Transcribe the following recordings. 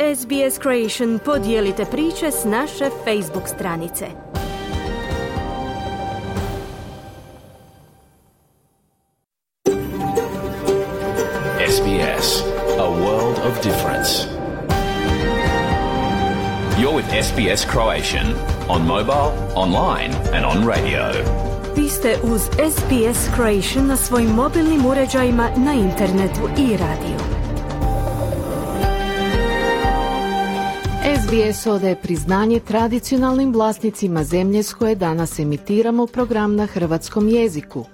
SBS Creation podijelite priče s naše Facebook stranice. SBS, a world of difference. You're with SBS Croatian on mobile, online and on radio. Vi ste uz SBS Croatian na svojim mobilnim uređajima, na internetu i radiju. SBS odaje priznanje tradicionalnim vlasnicima zemlje s koje danas emitiramo program na hrvatskom jeziku.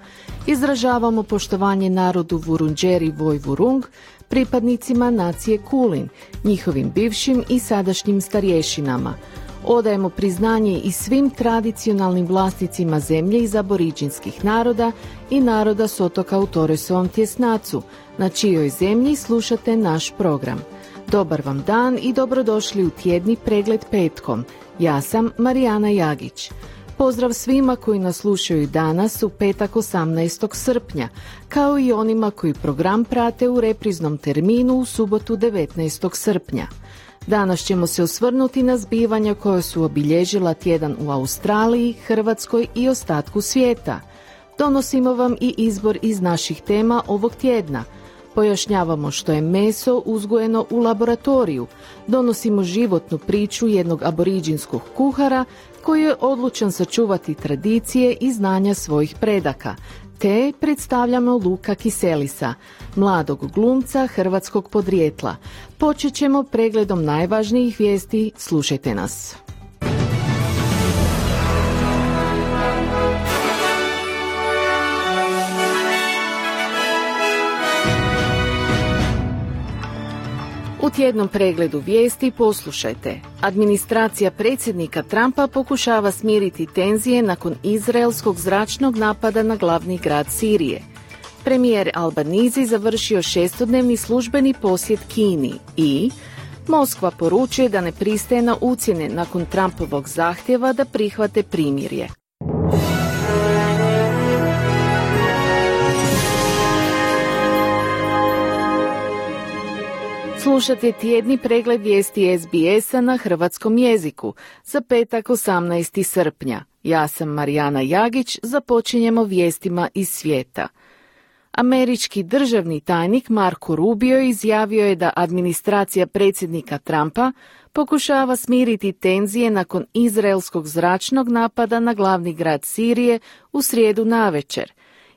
Izražavamo poštovanje narodu Vurundjeri Vojvurung, pripadnicima nacije Kulin, njihovim bivšim i sadašnjim starješinama. Odajemo priznanje i svim tradicionalnim vlasnicima zemlje iz aboriđinskih naroda i naroda s otoka u Torresovom tjesnacu, na čijoj zemlji slušate naš program. Dobar vam dan i dobrodošli u tjedni pregled petkom. Ja sam Marijana Jagić. Pozdrav svima koji nas slušaju danas u petak 18. srpnja, kao i onima koji program prate u repriznom terminu u subotu 19. srpnja. Danas ćemo se osvrnuti na zbivanja koja su obilježila tjedan u Australiji, Hrvatskoj i ostatku svijeta. Donosimo vam i izbor iz naših tema ovog tjedna. Pojašnjavamo što je meso uzgojeno u laboratoriju, donosimo životnu priču jednog aboriđinskog kuhara koji je odlučan sačuvati tradicije i znanja svojih predaka, te predstavljamo Luka Kiselisa, mladog glumca hrvatskog podrijetla. Počet ćemo pregledom najvažnijih vijesti, slušajte nas. U tjednom pregledu vijesti poslušajte. Administracija predsjednika Trumpa pokušava smiriti tenzije nakon izraelskog zračnog napada na glavni grad Sirije. Premijer Albanizi završio 6-dnevni službeni posjet Kini i Moskva poručuje da ne pristaje na ucjene nakon Trumpovog zahtjeva da prihvate primirje. Slušate tjedni pregled vijesti SBS-a na hrvatskom jeziku za petak 18. srpnja. Ja sam Marijana Jagić, započinjemo vijestima iz svijeta. Američki državni tajnik Marco Rubio izjavio je da administracija predsjednika Trumpa pokušava smiriti tenzije nakon izraelskog zračnog napada na glavni grad Sirije u srijedu navečer.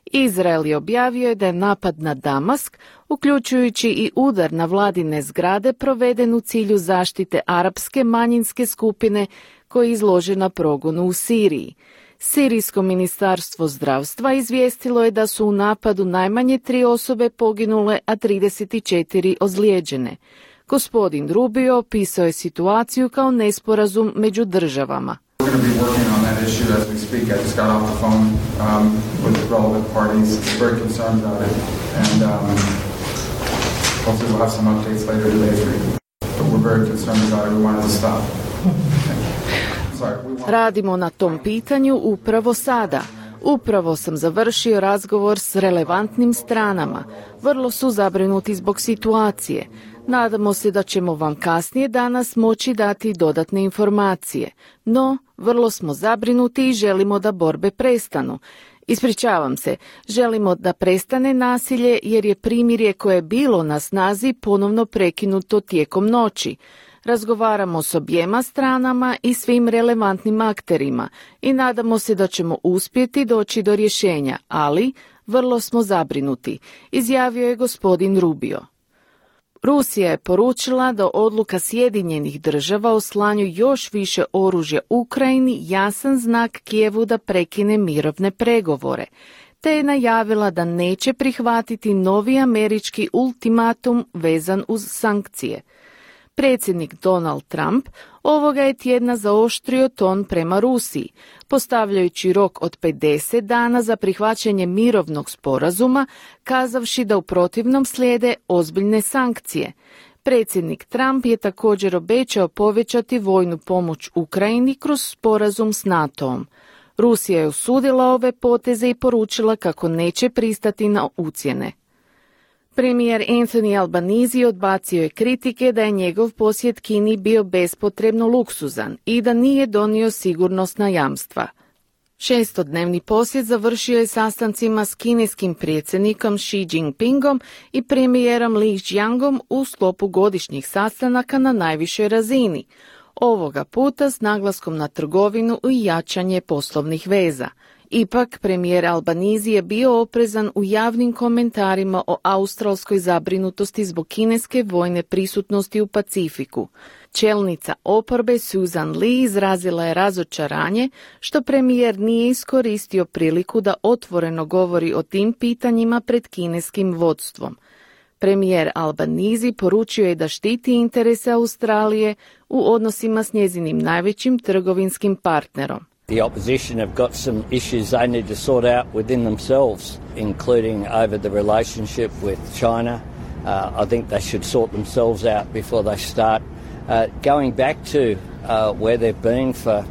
Izrael je objavio da je napad na Damask, uključujući i udar na vladine zgrade, proveden u cilju zaštite arapske manjinske skupine koja je izložena progonu u Siriji. Sirijsko ministarstvo zdravstva izvijestilo je da su u napadu najmanje 3 osobe poginule, a 34 ozlijeđene. Gospodin Rubio opisao je situaciju kao nesporazum među državama. We're going to be working on that issue as we speak. I just got off the phone with the relevant parties. Very concerned about it, and hopefully we'll have some updates later today for you. But we're very concerned about it. We want it to stop. Radimo na tom pitanju upravo sada. Upravo sam završio razgovor s relevantnim stranama. Vrlo su zabrinuti zbog situacije. Nadamo se da ćemo vam kasnije danas moći dati dodatne informacije. No, vrlo smo zabrinuti i želimo da borbe prestanu. Ispričavam se, želimo da prestane nasilje jer je primirje koje je bilo na snazi ponovno prekinuto tijekom noći. Razgovaramo s objema stranama i svim relevantnim akterima i nadamo se da ćemo uspjeti doći do rješenja, ali vrlo smo zabrinuti, izjavio je gospodin Rubio. Rusija je poručila da odluka Sjedinjenih država o slanju još više oružja Ukrajini jasan znak Kijevu da prekine mirovne pregovore, te je najavila da neće prihvatiti novi američki ultimatum vezan uz sankcije. Predsjednik Donald Trump ovoga je tjedna zaoštrio ton prema Rusiji, postavljajući rok od 50 dana za prihvaćanje mirovnog sporazuma, kazavši da u protivnom slijede ozbiljne sankcije. Predsjednik Trump je također obećao povećati vojnu pomoć Ukrajini kroz sporazum s NATO-om. Rusija je osudila ove poteze i poručila kako neće pristati na ucjene. Premijer Anthony Albanese odbacio je kritike da je njegov posjet Kini bio bespotrebno luksuzan i da nije donio sigurnosna jamstva. 6-dnevni posjet završio je sastancima s kineskim predsjednikom Xi Jinpingom i premijerom Li Qiangom u sklopu godišnjih sastanaka na najvišoj razini, ovoga puta s naglaskom na trgovinu i jačanje poslovnih veza. Ipak, premijer Albanese je bio oprezan u javnim komentarima o australskoj zabrinutosti zbog kineske vojne prisutnosti u Pacifiku. Čelnica oporbe Susan Lee izrazila je razočaranje što premijer nije iskoristio priliku da otvoreno govori o tim pitanjima pred kineskim vodstvom. Premijer Albanese poručio je da štiti interese Australije u odnosima s njezinim najvećim trgovinskim partnerom. The opposition have got some issues they need to sort out within themselves, including over the relationship with China. I think they should sort themselves out before they start going back to where they've been for.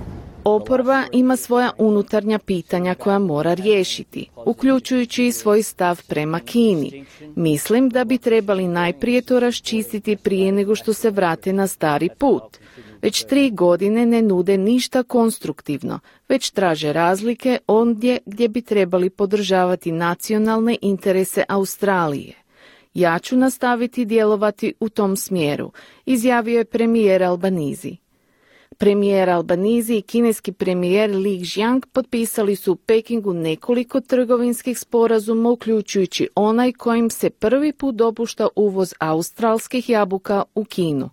Oporba ima svoja unutarnja pitanja koja mora riješiti, uključujući i svoj stav prema Kini. Mislim da bi trebali najprije to raščistiti prije nego što se vrate na stari put. Već 3 godine ne nude ništa konstruktivno, već traže razlike ondje gdje bi trebali podržavati nacionalne interese Australije. Ja ću nastaviti djelovati u tom smjeru, izjavio je premijer Albanese. Premijer Albanese i kineski premijer Li Qiang potpisali su u Pekingu nekoliko trgovinskih sporazuma, uključujući onaj kojim se prvi put dopušta uvoz australskih jabuka u Kinu.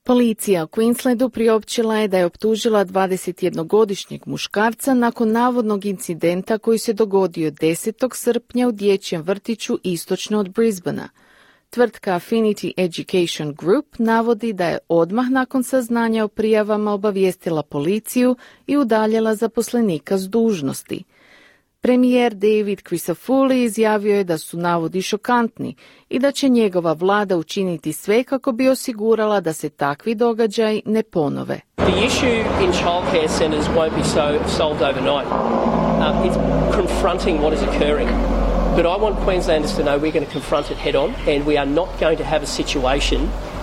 Policija u Queenslandu priopćila je da je optužila 21-godišnjeg muškarca nakon navodnog incidenta koji se dogodio 10. srpnja u dječjem vrtiću istočno od Brisbanea. Tvrtka Affinity Education Group navodi da je odmah nakon saznanja o prijavama obavijestila policiju i udaljila zaposlenika s dužnosti. Premijer David Crisafulli izjavio je da su navodi šokantni i da će njegova vlada učiniti sve kako bi osigurala da se takvi događaji ne ponove. The issue in childcare centres won't be solved overnight. It's confronting what is occurring. But I want Queenslanders to know we're going to confront it head on and we are not going to have a situation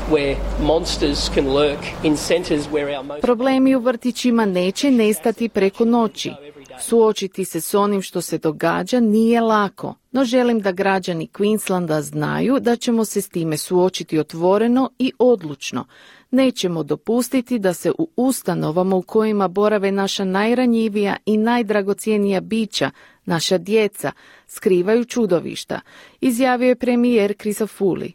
where monsters can lurk in centres where our most... Problemi u vrtićima neće nestati preko noći. Suočiti se s onim što se događa nije lako, no želim da građani Queenslanda znaju da ćemo se s time suočiti otvoreno i odlučno. Nećemo dopustiti da se u ustanovama u kojima borave naša najranjivija i najdragocjenija bića, naša djeca, skrivaju čudovišta, izjavio je premijer Crisafulli.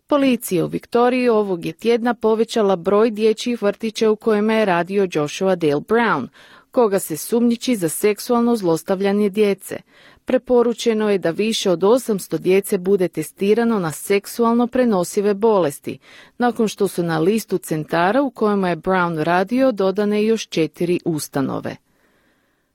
Policija u Viktoriji ovog je tjedna povećala broj dječjih vrtića u kojima je radio Joshua Dale Brown, koga se sumnjiči za seksualno zlostavljanje djece. Preporučeno je da više od 800 djece bude testirano na seksualno prenosive bolesti, nakon što su na listu centara u kojima je Brown radio dodane još 4 ustanove.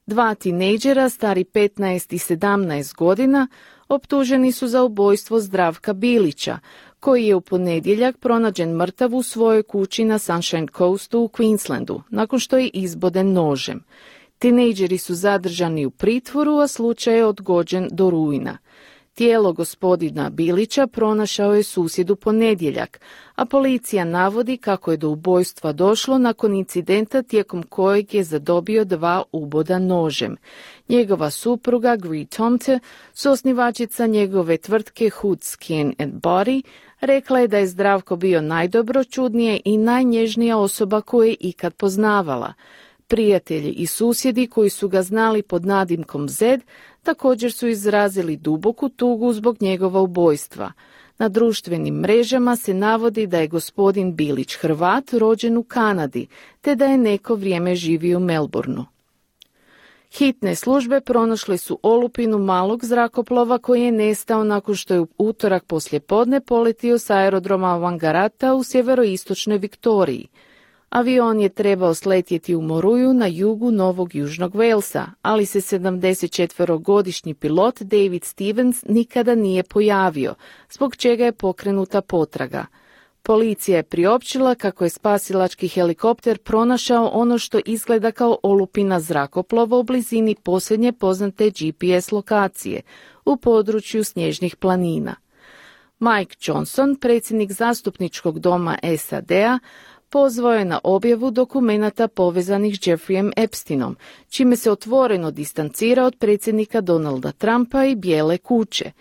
2 tinejdžera, stari 15 i 17 godina, optuženi su za ubojstvo Zdravka Bilića, koji je u ponedjeljak pronađen mrtav u svojoj kući na Sunshine Coastu u Queenslandu, nakon što je izboden nožem. Tinejdžeri su zadržani u pritvoru, a slučaj je odgođen do rujna. Tijelo gospodina Bilića pronašao je susjed u ponedjeljak, a policija navodi kako je do ubojstva došlo nakon incidenta tijekom kojeg je zadobio 2 uboda nožem. Njegova supruga Gree Tomte, suosnivačica njegove tvrtke Hood Skin and Body, rekla je da je Zdravko bio najdobroćudnije i najnježnija osoba koju je ikad poznavala. Prijatelji i susjedi koji su ga znali pod nadimkom Zed također su izrazili duboku tugu zbog njegova ubojstva. Na društvenim mrežama se navodi da je gospodin Bilić Hrvat rođen u Kanadi, te da je neko vrijeme živio u Melbourneu. Hitne službe pronašle su olupinu malog zrakoplova koji je nestao nakon što je u utorak poslijepodne poletio s aerodroma Wangaratta u sjeveroistočnoj Viktoriji. Avion je trebao sletjeti u Moruju na jugu Novog Južnog Walesa, ali se 74-godišnji pilot David Stevens nikada nije pojavio, zbog čega je pokrenuta potraga. Policija je priopćila kako je spasilački helikopter pronašao ono što izgleda kao olupina zrakoplova u blizini posljednje poznate GPS lokacije u području snježnih planina. Mike Johnson, predsjednik zastupničkog doma SAD-a, pozvao je na objavu dokumenata povezanih s Jeffreyem Epsteinom, čime se otvoreno distancira od predsjednika Donalda Trumpa i Bijele kuće.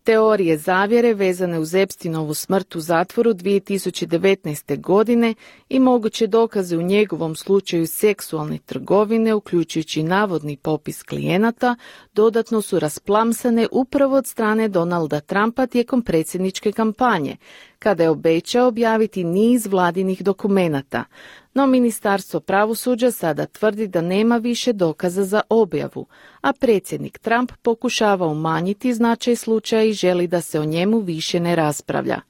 Teorije zavjere vezane uz Epsteinovu smrt u zatvoru 2019. godine i moguće dokaze u njegovom slučaju seksualne trgovine, uključujući navodni popis klijenata, dodatno su rasplamsane upravo od strane Donalda Trumpa tijekom predsjedničke kampanje, kada je obećao objaviti niz vladinih dokumenata. No Ministarstvo pravosuđa sada tvrdi da nema više dokaza za objavu, a predsjednik Trump pokušava umanjiti značaj slučaja i želi da se o njemu više ne raspravlja.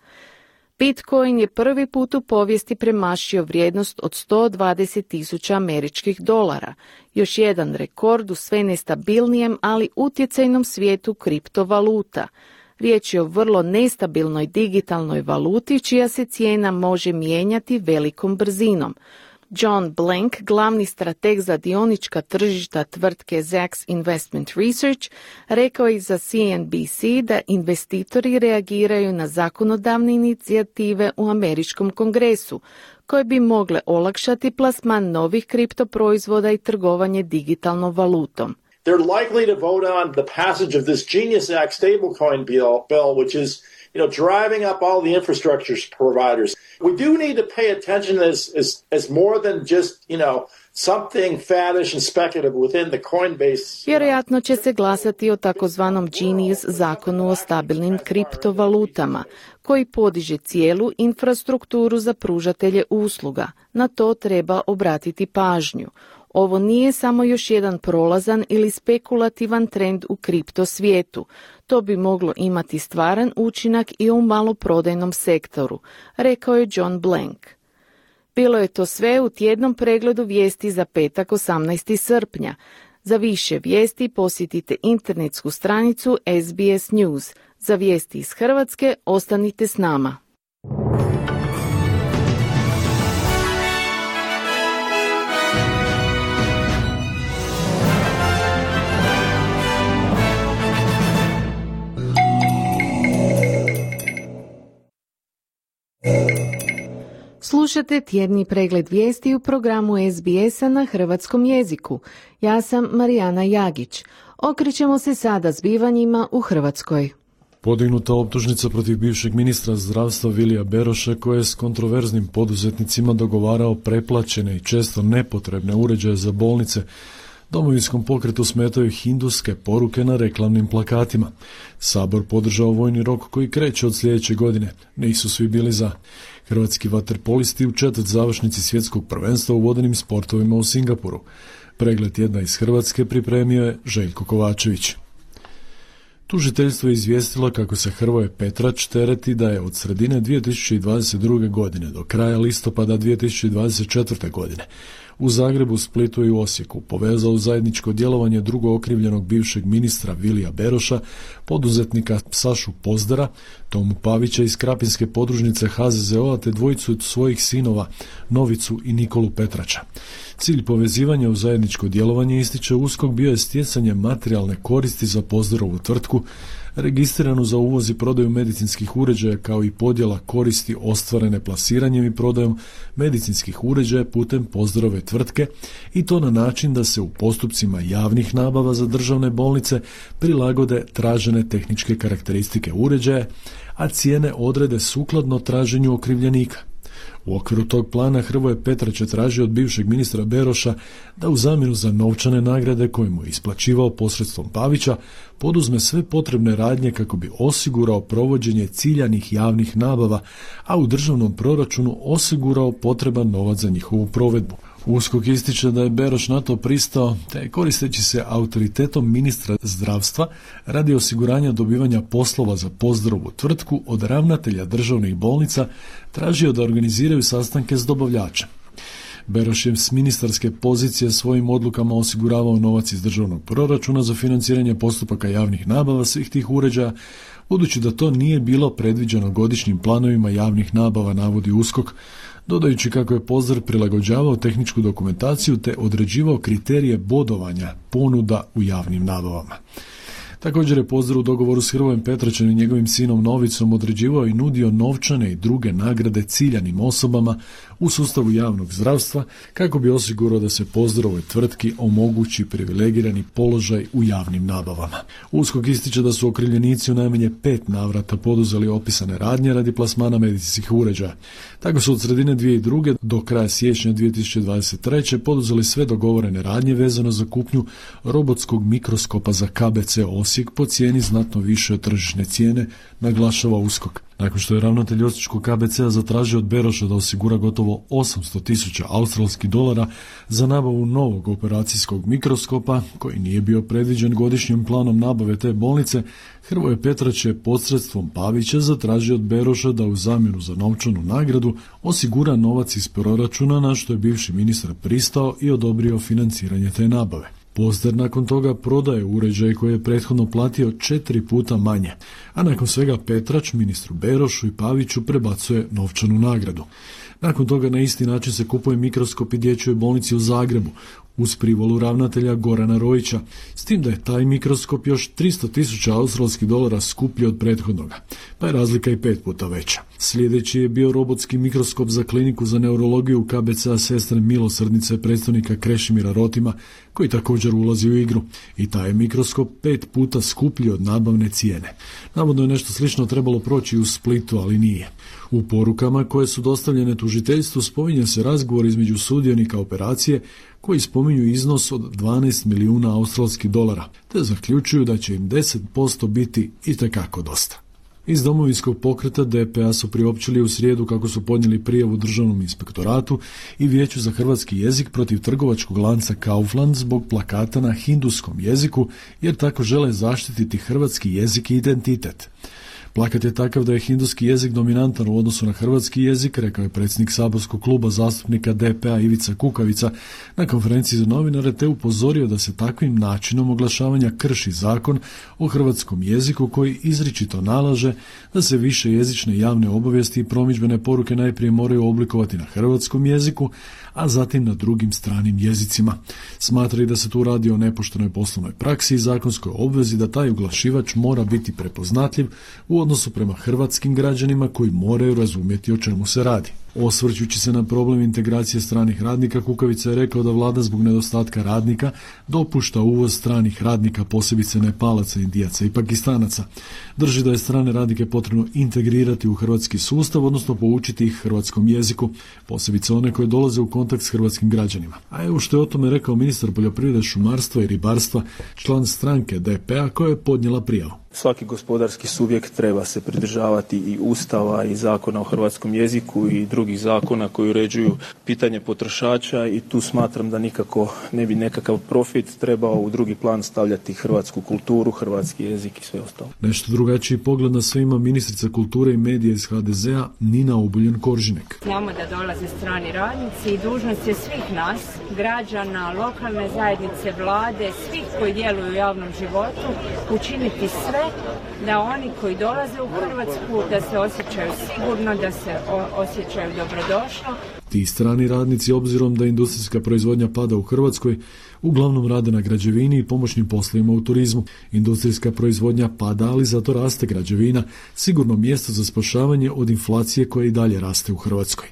Bitcoin je prvi put u povijesti premašio vrijednost od $120,000 američkih dolara, još jedan rekord u sve nestabilnijem, ali utjecajnom svijetu kriptovaluta. Riječ je o vrlo nestabilnoj digitalnoj valuti čija se cijena može mijenjati velikom brzinom. John Blank, glavni strateg za dionička tržišta tvrtke Zacks Investment Research, rekao je za CNBC da investitori reagiraju na zakonodavne inicijative u američkom kongresu, koje bi mogle olakšati plasman novih kriptoproizvoda i trgovanje digitalnom valutom. They're likely to vote on the passage of this Genius Act stablecoin bill, which is, driving up all the infrastructure providers. We do need to pay attention as more than just, something faddish and speculative within the Coinbase. Vjerojatno će se glasati o takozvanom Genius zakonu o stabilnim kriptovalutama, koji podiže cijelu infrastrukturu za pružatelje usluga. Na to treba obratiti pažnju. Ovo nije samo još jedan prolazan ili spekulativan trend u kripto svijetu. To bi moglo imati stvaran učinak i u maloprodajnom sektoru, rekao je John Blank. Bilo je to sve u tjednom pregledu vijesti za petak 18. srpnja. Za više vijesti posjetite internetsku stranicu SBS News. Za vijesti iz Hrvatske ostanite s nama. Slušate tjedni pregled vijesti u programu SBS-a na hrvatskom jeziku. Ja sam Marijana Jagić. Okrećemo se sada zbivanjima u Hrvatskoj. Podignuta optužnica protiv bivšeg ministra zdravstva Vilija Beroša, koji je s kontroverznim poduzetnicima dogovarao preplaćene i često nepotrebne uređaje za bolnice. Domovinskom pokretu smetaju hinduske poruke na reklamnim plakatima. Sabor podržao vojni rok koji kreće od sljedeće godine. Nisu svi bili za. Hrvatski vaterpolisti u četvrt završnici svjetskog prvenstva u vodenim sportovima u Singapuru. Pregled tjedna iz Hrvatske pripremio je Željko Kovačević. Tužiteljstvo je izvijestilo kako se Hrvoje Petrač tereti da je od sredine 2022. godine do kraja listopada 2024. godine u Zagrebu, Splitu i u Osijeku povezao zajedničko djelovanje drugo okrivljenog bivšeg ministra Vilija Beroša, poduzetnika Sašu Pozdara, Tomu Pavića iz Krapinske podružnice HZZO-a te dvojicu svojih sinova Novicu i Nikolu Petrača. Cilj povezivanja u zajedničko djelovanje, ističe USKOK, bio je stjecanje materijalne koristi za Pozdarovu tvrtku, registriranu za uvoz i prodaju medicinskih uređaja, kao i podjela koristi ostvarene plasiranjem i prodajom medicinskih uređaja putem Pozdarove tvrtke, i to na način da se u postupcima javnih nabava za državne bolnice prilagode tražene tehničke karakteristike uređaja, a cijene odrede sukladno traženju okrivljenika. U okviru tog plana Hrvoje Petrač je tražio od bivšeg ministra Beroša da u zamjenu za novčane nagrade koje mu je isplaćivao posredstvom Pavića poduzme sve potrebne radnje kako bi osigurao provođenje ciljanih javnih nabava, a u državnom proračunu osigurao potreban novac za njihovu provedbu. USKOK ističe da je Beroš na to pristao, te koristeći se autoritetom ministra zdravstva radi osiguranja dobivanja poslova za Pozdarovu tvrtku od ravnatelja državnih bolnica tražio da organiziraju sastanke s dobavljačem. Beroš je s ministarske pozicije svojim odlukama osiguravao novac iz državnog proračuna za financiranje postupaka javnih nabava svih tih uređaja, budući da to nije bilo predviđeno godišnjim planovima javnih nabava, navodi USKOK, dodajući kako je Pozdrav prilagođavao tehničku dokumentaciju te određivao kriterije bodovanja ponuda u javnim nabavama. Također je Pozdrav u dogovoru s Hrvojem Petračem i njegovim sinom Novicom određivao i nudio novčane i druge nagrade ciljanim osobama u sustavu javnog zdravstva kako bi osigurao da se Pozdravoj tvrtki omogući privilegirani položaj u javnim nabavama. USKOK ističe da su okrivljenici u najmanje 5 navrata poduzeli opisane radnje radi plasmana medicinskih uređaja. Tako su od sredine 2002. do kraja siječnja 2023. poduzeli sve dogovorene radnje vezano za kupnju robotskog mikroskopa za KBC Osijek po cijeni znatno više od tržišne cijene, naglašava USKOK. Nakon što je ravnatelj osječkog KBC-a zatražio od Beroša da osigura gotovo 800.000 australskih dolara za nabavu novog operacijskog mikroskopa, koji nije bio predviđen godišnjim planom nabave te bolnice, Hrvoje Petrać je posredstvom Pavića zatražio od Beroša da u zamjenu za novčanu nagradu osigura novac iz proračuna, na što je bivši ministar pristao i odobrio financiranje te nabave. Pozdrav nakon toga prodaje uređaj koji je prethodno platio 4 puta manje, a nakon svega Petrač ministru Berošu i Paviću prebacuje novčanu nagradu. Nakon toga na isti način se kupuje mikroskop i dječjoj bolnici u Zagrebu, uz privolu ravnatelja Gorana Rojića, s tim da je taj mikroskop još 300.000 australskih dolara skuplji od prethodnoga, pa je razlika i 5 puta veća. Sljedeći je bio robotski mikroskop za kliniku za neurologiju KBC-a Sestre Milosrdnice predstavnika Krešimira Rotima, koji također ulazi u igru. I taj je mikroskop 5 puta skuplji od nabavne cijene. Navodno je nešto slično trebalo proći u Splitu, ali nije. U porukama koje su dostavljene tužiteljstvu spominje se razgovor između sudionika operacije koji spominju iznos od 12 milijuna australskih dolara, te zaključuju da će im 10% biti itekako dosta. Iz Domovinskog pokreta DPA su priopćili u srijedu kako su podnijeli prijavu Državnom inspektoratu i Vijeću za hrvatski jezik protiv trgovačkog lanca Kaufland zbog plakata na hinduskom jeziku, jer tako žele zaštititi hrvatski jezik i identitet. Plakat je takav da je hinduski jezik dominantan u odnosu na hrvatski jezik, rekao je predsjednik saborskog kluba zastupnika DPA Ivica Kukavica na konferenciji za novinare, te upozorio da se takvim načinom oglašavanja krši zakon o hrvatskom jeziku koji izričito nalaže da se više jezične javne obavijesti i promidžbene poruke najprije moraju oblikovati na hrvatskom jeziku, a zatim na drugim stranim jezicima. Smatra i da se tu radi o nepoštenoj poslovnoj praksi i zakonskoj obvezi da taj oglašivač mora biti prepoznatljiv u odnosu prema hrvatskim građanima koji moraju razumjeti o čemu se radi. Osvrćući se na problem integracije stranih radnika, Kukavica je rekao da vlada zbog nedostatka radnika dopušta uvoz stranih radnika, posebice Nepalaca, Indijaca i Pakistanaca. Drži da je strane radnike potrebno integrirati u hrvatski sustav, odnosno poučiti ih hrvatskom jeziku, posebice one koje dolaze u kontakt s hrvatskim građanima. A evo što je o tome rekao ministar poljoprivrede, šumarstva i ribarstva, član stranke DPA koja je podnijela prijavu. Svaki gospodarski subjekt treba se pridržavati i Ustava i Zakona o hrvatskom jeziku i drugih zakona koji uređuju pitanje potrošača i tu smatram da nikako ne bi nekakav profit trebao u drugi plan stavljati hrvatsku kulturu, hrvatski jezik i sve ostalo. Nešto drugačiji pogled na sve ima ministrica kulture i medija iz HDZ-a Nina Obuljen-Koržinek. Znamo da dolaze strani radnici i dužnost je svih nas, građana, lokalne zajednice, vlade, svih koji djeluju u javnom životu, učiniti sve da oni koji dolaze u Hrvatsku da se osjećaju sigurno, da se osjećaju dobrodošlo. Ti strani radnici, obzirom da industrijska proizvodnja pada u Hrvatskoj, uglavnom rade na građevini i pomoćnim poslovima u turizmu. Industrijska proizvodnja pada, ali zato raste građevina, sigurno mjesto za spašavanje od inflacije koja i dalje raste u Hrvatskoj.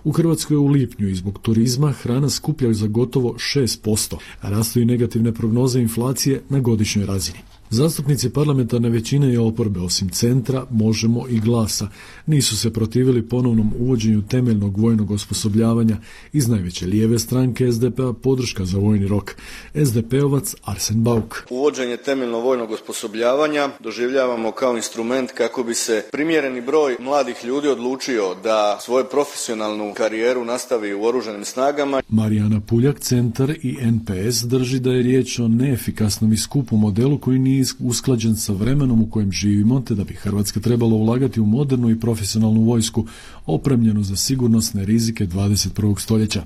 U Hrvatskoj je u lipnju i zbog turizma hrana skuplja za gotovo 6%, a rastu i negativne prognoze inflacije na godišnjoj razini. Zastupnici parlamentarne većine i oporbe, osim Centra, Možemo i Glasa, nisu se protivili ponovnom uvođenju temeljnog vojnog osposobljavanja. Iz najveće lijeve stranke SDP-a podrška za vojni rok. SDP-ovac Arsen Bauk. Uvođenje temeljnog vojnog osposobljavanja doživljavamo kao instrument kako bi se primjereni broj mladih ljudi odlučio da svoju profesionalnu karijeru nastavi u oružanim snagama. Marijana Puljak, Centar i NPS drži da je riječ o neefikasnom i skupom modelu koji nije nije usklađen sa vremenom u kojem živimo, te da bi Hrvatska trebala ulagati u modernu i profesionalnu vojsku, opremljenu za sigurnosne rizike 21. stoljeća.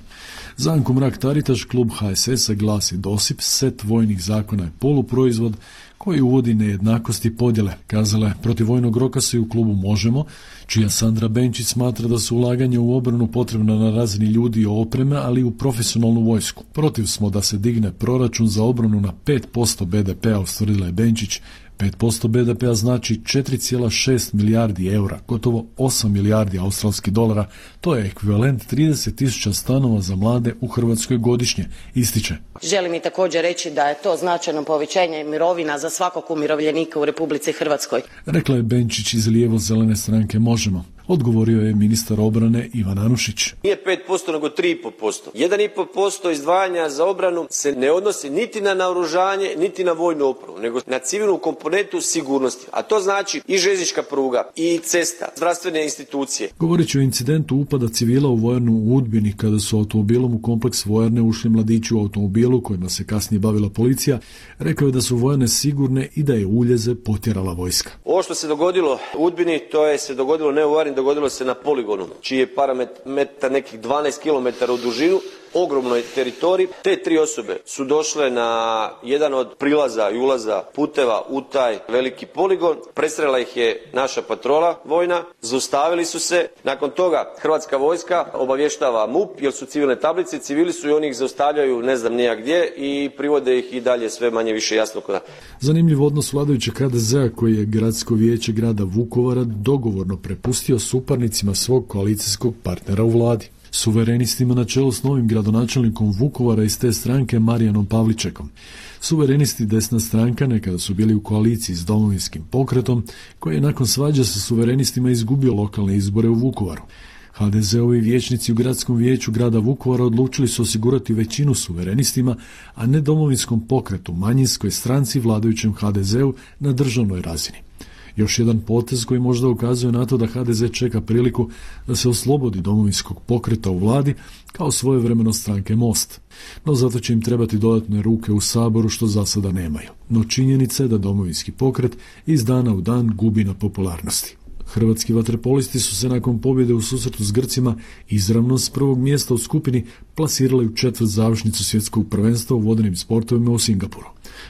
Za Anku Mrak-Taritaš, klub HSS-a glasi dosip, set vojnih zakona je poluproizvod koji uvodi nejednakosti i podjele. Kazala je, protiv vojnog roka se i u klubu Možemo, čija Sandra Benčić smatra da su ulaganja u obranu potrebna na razini ljudi i opreme, ali i u profesionalnu vojsku. Protiv smo da se digne proračun za obranu na 5% BDP-a, ustvrdila je Benčić. 5% BDP-a znači 4,6 milijardi eura, gotovo 8 milijardi australskih dolara. To je ekvivalent 30.000 stanova za mlade u Hrvatskoj godišnje, ističe. Želim i također reći da je to značajno povećanje mirovina za svakog umirovljenika u Republici Hrvatskoj. Rekla je Benčić iz lijevo-zelene stranke Možemo. Odgovorio je ministar obrane Ivan Anušić. Nije 5%, nego 3,5%. 1,5% izdvajanja za obranu se ne odnosi niti na naoružanje, niti na vojnu opremu, nego na civilnu komponentu sigurnosti. A to znači i željeznička pruga, i cesta, zdravstvene institucije. Govoreći o incidentu upada civila u vojarnu u Udbini, kada su automobilom u kompleks vojarne ušli mladići u automobilu kojima se kasnije bavila policija, rekao je da su vojarne sigurne i da je uljeze potjerala vojska. Ovo što se dogodilo u Udbini, to je se dogodilo ne u vojarni, dogodilo se na poligonu, čiji je parametar nekih 12 km u dužinu, ogromnoj teritoriji. Te 3 osobe su došle na jedan od prilaza i ulaza puteva u taj veliki poligon. Prestrela ih je naša patrola vojna, zaustavili su se. Nakon toga Hrvatska vojska obavještava MUP, jer su civilne tablice, civili su i oni ih zaustavljaju ne znam nija gdje i privode ih i dalje sve manje više jasno kuda. Zanimljiv odnos vladajućeg HDZ-a koji je gradsko vijeće grada Vukovara dogovorno prepustio suparnicima svog koalicijskog partnera u vladi. Suverenistima na čelu s novim gradonačelnikom Vukovara iz te stranke Marijanom Pavličekom. Suverenisti, desna stranka, nekada su bili u koaliciji s Domovinskim pokretom, koji je nakon svađa sa suverenistima izgubio lokalne izbore u Vukovaru. HDZ-ovi vijećnici u gradskom vijeću grada Vukovara odlučili su osigurati većinu suverenistima, a ne Domovinskom pokretu, manjinskoj stranci vladajućem HDZ-u na državnoj razini. Još jedan potez koji možda ukazuje na to da HDZ čeka priliku da se oslobodi Domovinskog pokreta u vladi kao svojevremeno stranke Most. No zato će im trebati dodatne ruke u Saboru, što za sada nemaju. No činjenica je da Domovinski pokret iz dana u dan gubi na popularnosti. Hrvatski vaterpolisti su se nakon pobjede u susretu s Grcima izravno s prvog mjesta u skupini plasirali u četvrt završnicu svjetskog prvenstva u vodenim sportovima u Singapuru.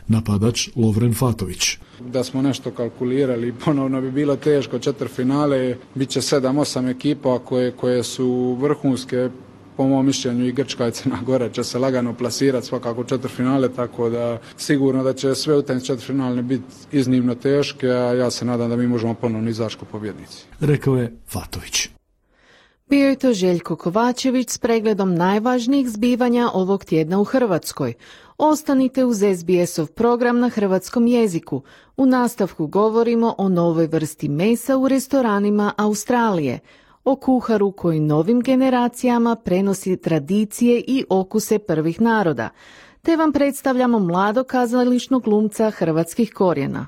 Napadač Lovren Fatović. Da smo nešto kalkulirali, ponovno bi bilo teško. Četvrtfinale bit će 7-8 ekipa koje su vrhunske. Po mom mišljenju i Grčka i Crna Gora će se lagano plasirati svakako u četvrtfinale, tako da sigurno da će sve utakmice četvrtfinalne biti iznimno teške, a ja se nadam da mi možemo ponovno izaći kao pobjednici. Rekao je Fatović. Bio je to Željko Kovačević s pregledom najvažnijih zbivanja ovog tjedna u Hrvatskoj. Ostanite uz SBS-ov program na hrvatskom jeziku. U nastavku govorimo o novoj vrsti mesa u restoranima Australije, o kuharu koji novim generacijama prenosi tradicije i okuse prvih naroda, te vam predstavljamo mladog kazališnog glumca hrvatskih korijena.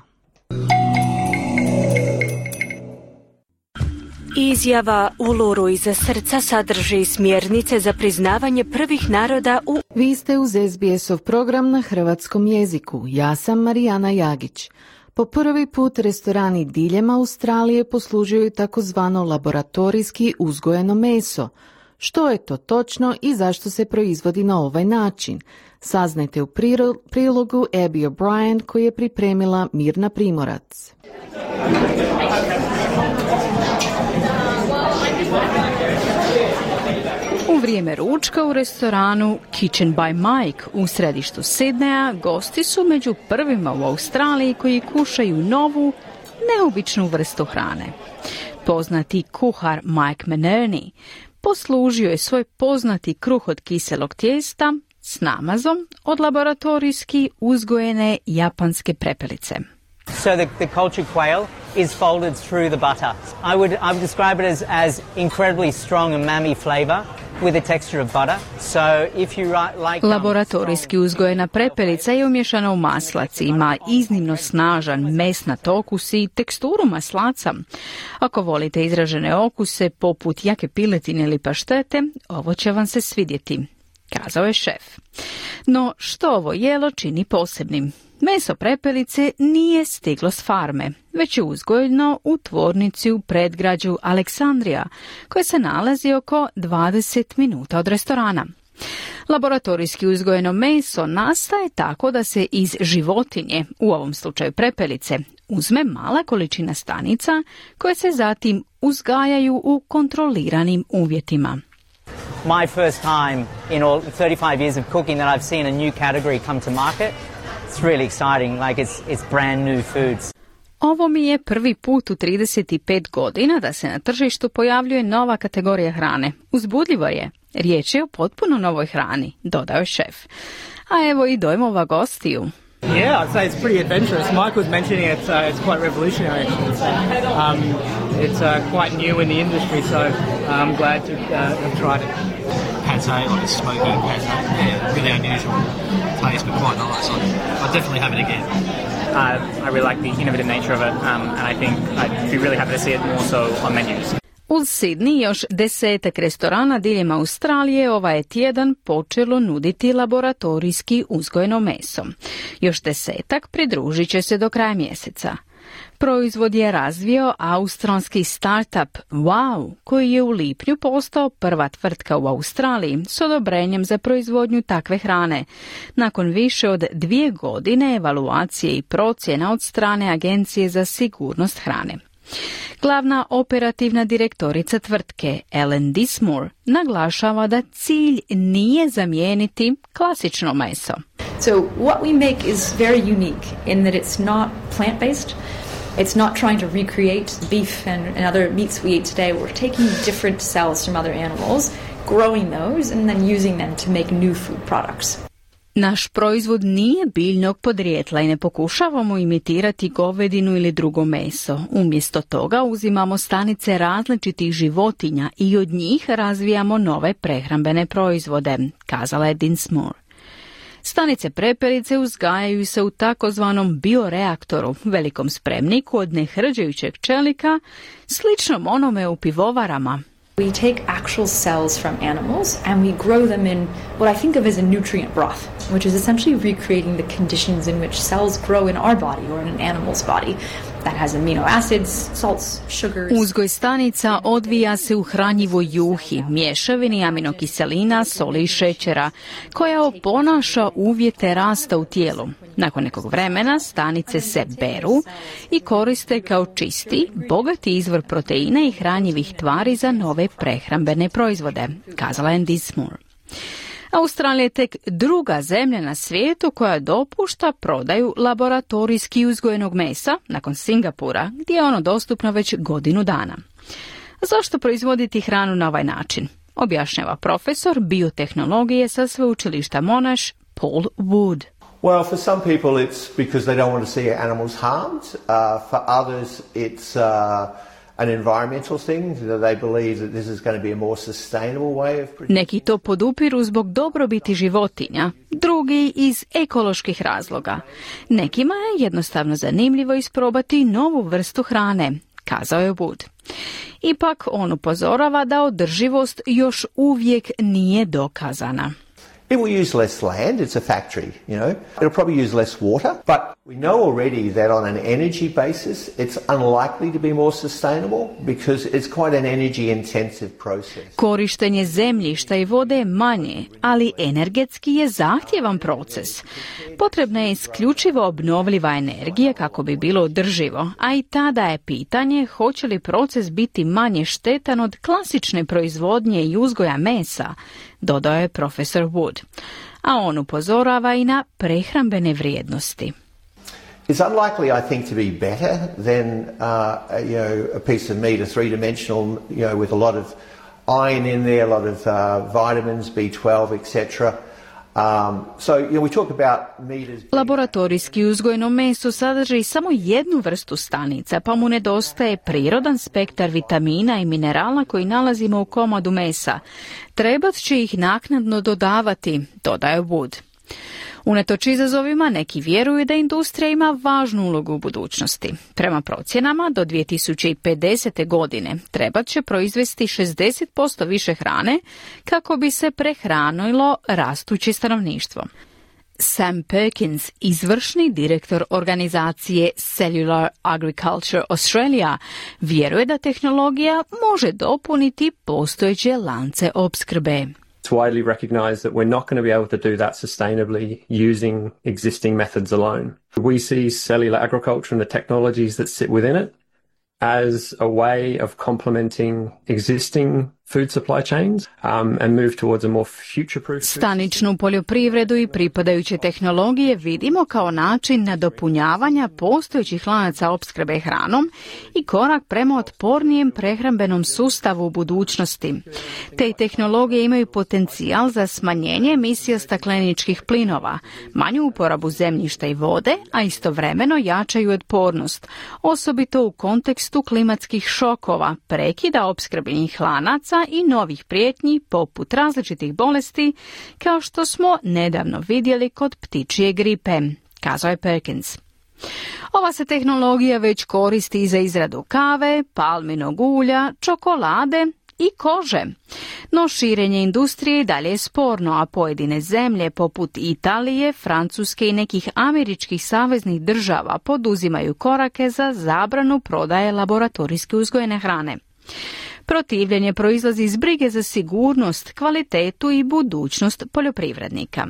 Izjava Uluru iza srca sadrži smjernice za priznavanje prvih naroda u... Vi ste uz SBS-ov program na hrvatskom jeziku. Ja sam Marijana Jagić. Po prvi put restorani diljem Australije poslužuju takozvano laboratorijski uzgojeno meso. Što je to točno i zašto se proizvodi na ovaj način? Saznajte u prilogu Abby O'Brien koji je pripremila Mirna Primorac. U vrijeme ručka u restoranu Kitchen by Mike u središtu Sidneja gosti su među prvima u Australiji koji kušaju novu, neobičnu vrstu hrane. Poznati kuhar Mike Menerney poslužio je svoj poznati kruh od kiselog tijesta s namazom od laboratorijski uzgojene japanske prepelice. So the cultured quail is folded through the butter. I would describe it as incredibly strong umami flavor with a texture of butter. So if you like laboratorijski uzgojena prepelica je umješana u maslac, ima iznimno snažan mesnat okus i teksturu maslaca. Ako volite izražene okuse poput jake piletine ili paštete, ovo će vam se svidjeti. kazao je šef. No što ovo jelo čini posebnim? Meso prepelice nije stiglo s farme, već je uzgojeno u tvornici u predgrađu Aleksandrija, koja se nalazi oko 20 minuta od restorana. Laboratorijski uzgojeno meso nastaje tako da se iz životinje, u ovom slučaju prepelice, uzme mala količina stanica koje se zatim uzgajaju u kontroliranim uvjetima. My first time in all 35 years of cooking that I've seen a new category come to market. It's really exciting, like it's brand new foods. Ovo mi je prvi put u 35 godina da se na tržištu pojavljuje nova kategorija hrane. Uzbudljivo je. Riječ je o potpuno novoj hrani, dodao je šef. A evo i dojmova gostiju. Yeah, I'd say it's pretty adventurous. Mike was mentioning it's quite revolutionary actually. So, it's quite new in the industry, so I'm glad to have tried it. Pate, like a smoky pate, yeah, really unusual taste, but quite nice. I'd definitely have it again. I really like the innovative nature of it, and I think I'd be really happy to see it more so on menus. Uz Sidney još 10 restorana diljem Australije ovaj je tjedan počelo nuditi laboratorijski uzgojeno meso. Još 10 pridružit će se do kraja mjeseca. Proizvod je razvio australski startup Wow, koji je u lipnju postao prva tvrtka u Australiji s odobrenjem za proizvodnju takve hrane, nakon više od 2 godine evaluacije i procjena od strane Agencije za sigurnost hrane. Glavna operativna direktorica tvrtke Ellen Dismore naglašava da cilj nije zamijeniti klasično meso. So what we make is very unique in that it's not plant-based. It's not trying to recreate beef and other meats we eat today. We're taking different cells from other animals, growing those and then using them to make new food products. Naš proizvod nije biljnog podrijetla i ne pokušavamo imitirati govedinu ili drugo meso. Umjesto toga uzimamo stanice različitih životinja i od njih razvijamo nove prehrambene proizvode, kazala je Dinsmore. Stanice prepelice uzgajaju se u takozvanom bioreaktoru, velikom spremniku od nehrđajućeg čelika, sličnom onome u pivovarama. We take actual cells from animals and we grow them in what I think of as a nutrient broth, which is essentially recreating the conditions in which cells grow in our body or in an animal's body. That has amino acids, salts, sugars. Uzgoj stanica odvija se u hranjivoj juhi, mješavini aminokiselina, soli i šećera, koja oponaša uvjete rasta u tijelu. Nakon nekog vremena stanice se beru i koriste kao čisti, bogati izvor proteina i hranjivih tvari za nove prehrambene proizvode, kazala je Dismore. Australija je tek druga zemlja na svijetu koja dopušta prodaju laboratorijski uzgojenog mesa nakon Singapura, gdje je ono dostupno već godinu dana. Zašto proizvoditi hranu na ovaj način? Objašnjava profesor biotehnologije sa sveučilišta Monash Paul Wood. Well, for some people it's because they don't want to see animals harmed. For others it's an environmental thing. They believe that this is going to be a more sustainable way of producing. Neki to podupiru zbog dobrobiti životinja, drugi iz ekoloških razloga. Nekima je jednostavno zanimljivo isprobati novu vrstu hrane, kazao je Wood. Ipak on upozorava da održivost još uvijek nije dokazana. It will use less land, it's a factory, you know. It'll probably use less water, but we know already that on an energy basis it's unlikely to be more sustainable because it's quite an energy intensive process. Korištenje zemljišta i vode je manje, ali energetski je zahtjevan proces. Potrebna je isključivo obnovljiva energija kako bi bilo održivo, a i tada je pitanje hoće li proces biti manje štetan od klasične proizvodnje i uzgoja mesa, dodao je profesor Wood. A on upozorava i na prehrambene vrijednosti. It's unlikely, I think, to be better than a piece of meat, a three-dimensional, with a lot of iron in there, a lot of vitamins, B12, etc. We talk about meat as... Laboratorijski uzgojeno meso sadrži samo jednu vrstu stanica, pa mu nedostaje prirodan spektar vitamina i minerala koji nalazimo u komadu mesa. Trebat će ih naknadno dodavati, dodaje Wood. Unatoč izazovima, neki vjeruju da industrija ima važnu ulogu u budućnosti. Prema procjenama, do 2050. godine trebat će proizvesti 60% više hrane kako bi se prehranilo rastuće stanovništvo. Sam Perkins, izvršni direktor organizacije Cellular Agriculture Australia, vjeruje da tehnologija može dopuniti postojeće lance opskrbe. It's widely recognized that we're not going to be able to do that sustainably using existing methods alone. We see cellular agriculture and the technologies that sit within it as a way of complementing existing food supply chains and move towards a more future-proof. Staničnu poljoprivredu i pripadajuće tehnologije vidimo kao način nadopunjavanja postojećih lanaca opskrbe hranom i korak prema otpornijem prehrambenom sustavu u budućnosti. Te tehnologije imaju potencijal za smanjenje emisija stakleničkih plinova, manju uporabu zemljišta i vode, a istovremeno jačaju otpornost, osobito u kontekstu klimatskih šokova, prekida opskrbenih lanaca i novih prijetnji poput različitih bolesti, kao što smo nedavno vidjeli kod ptičje gripe, kazao je Perkins. Ova se tehnologija već koristi za izradu kave, palminog ulja, čokolade i kože. No širenje industrije dalje je sporno, a pojedine zemlje poput Italije, Francuske i nekih američkih saveznih država poduzimaju korake za zabranu prodaje laboratorijski uzgojene hrane. Protivljenje proizlazi iz brige za sigurnost, kvalitetu i budućnost poljoprivrednika.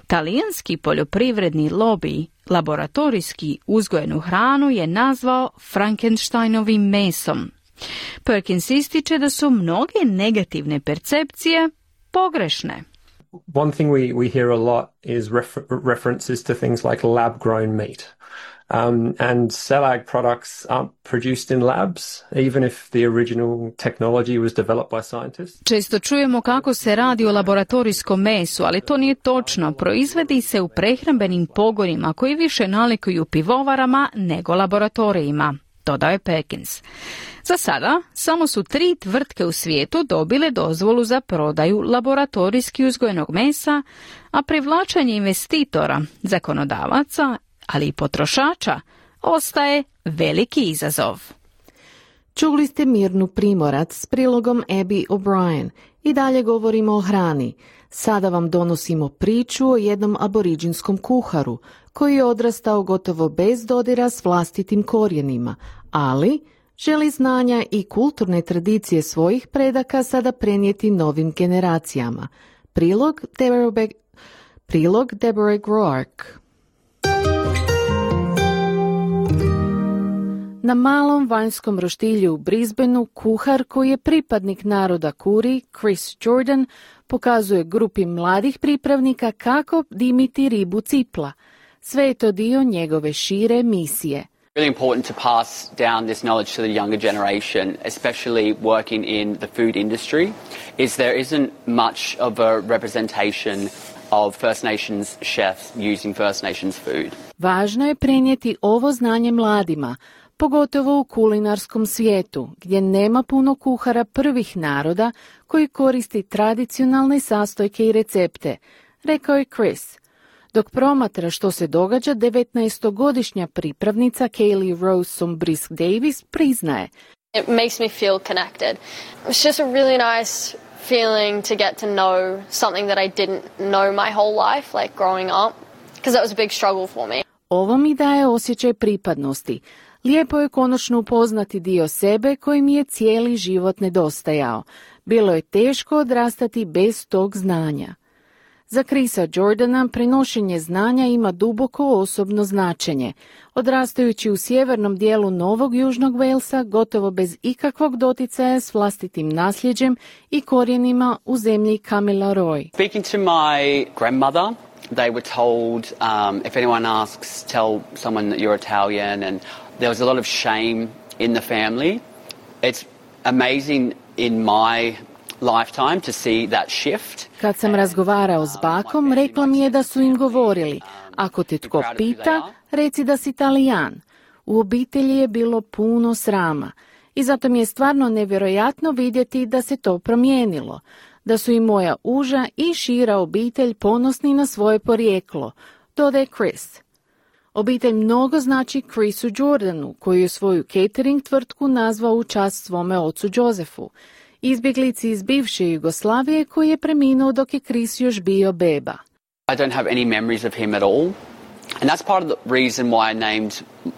Talijanski poljoprivredni lobij laboratorijski uzgojenu hranu je nazvao Frankensteinovim mesom. Perkins ističe da su mnoge negativne percepcije pogrešne. One thing we hear a lot is references to things like lab-grown meat. And CellAg products aren't produced in labs, even if the original technology was developed by scientists. Često čujemo kako se radi o laboratorijskom mesu, ali to nije točno. Proizvodi se u prehrambenim pogonima koji više nalikuju pivovarama nego laboratorijima, dodao je Perkins. Za sada samo su 3 tvrtke u svijetu dobile dozvolu za prodaju laboratorijski uzgojenog mesa, a privlačenje investitora, zakonodavaca, ali i potrošača, ostaje veliki izazov. Čuli ste Mirnu Primorac s prilogom Abby O'Brien. I dalje govorimo o hrani. Sada vam donosimo priču o jednom aboriđinskom kuharu koji je odrastao gotovo bez dodira s vlastitim korijenima, ali želi znanja i kulturne tradicije svojih predaka sada prenijeti novim generacijama. Prilog Deborah Groark. Na malom vanjskom roštilju u Brisbaneu kuhar koji je pripadnik naroda Kuri, Chris Jordan, pokazuje grupi mladih pripravnika kako dimiti ribu cipla. Sve je to dio njegove šire misije. Really important to pass down this knowledge to the younger generation, especially working in the food industry, is there isn't much of a representation of First Nations chefs using First Nations food. Važno je prenijeti ovo znanje mladima, pogotovo u kulinarskom svijetu, gdje nema puno kuhara prvih naroda koji koristi tradicionalne sastojke i recepte, rekao je Chris. Dok promatra što se događa, 19-godišnja pripravnica Kaylee Rose Sombrisk Davis priznaje. It makes me feel connected. It's just a really nice feeling to get to know something that I didn't know my whole life, like growing up, because that was a big struggle for me. Ovo mi daje osjećaj pripadnosti. Lijepo je konačno upoznati dio sebe koji mi je cijeli život nedostajao. Bilo je teško odrastati bez tog znanja. Za Chrisa Jordana prenošenje znanja ima duboko osobno značenje. Odrastajući u sjevernom dijelu Novog Južnog Walesa, gotovo bez ikakvog doticaja s vlastitim nasljeđem i korijenima u zemlji Kamilaroi. Speaking to my grandmother, they were told if anyone asks, tell someone that you're Italian, and there was a lot of shame in the family. It's amazing in my lifetime to see that shift. Kad sam razgovarao s bakom, rekla mi je da su im govorili, ako te tko pita, reci da si Talijan. U obitelji je bilo puno srama i zato mi je stvarno nevjerojatno vidjeti da se to promijenilo. da su i moja uža i šira obitelj ponosni na svoje porijeklo, dodaje Chris. Obitelj mnogo znači Chrisu Jordanu, koji je svoju catering tvrtku nazvao u čast svome ocu Josefu, izbjeglici iz bivše Jugoslavije koji je preminuo dok je Chris još bio beba. I don't have any memories of him at all. And that's part of the reason why I named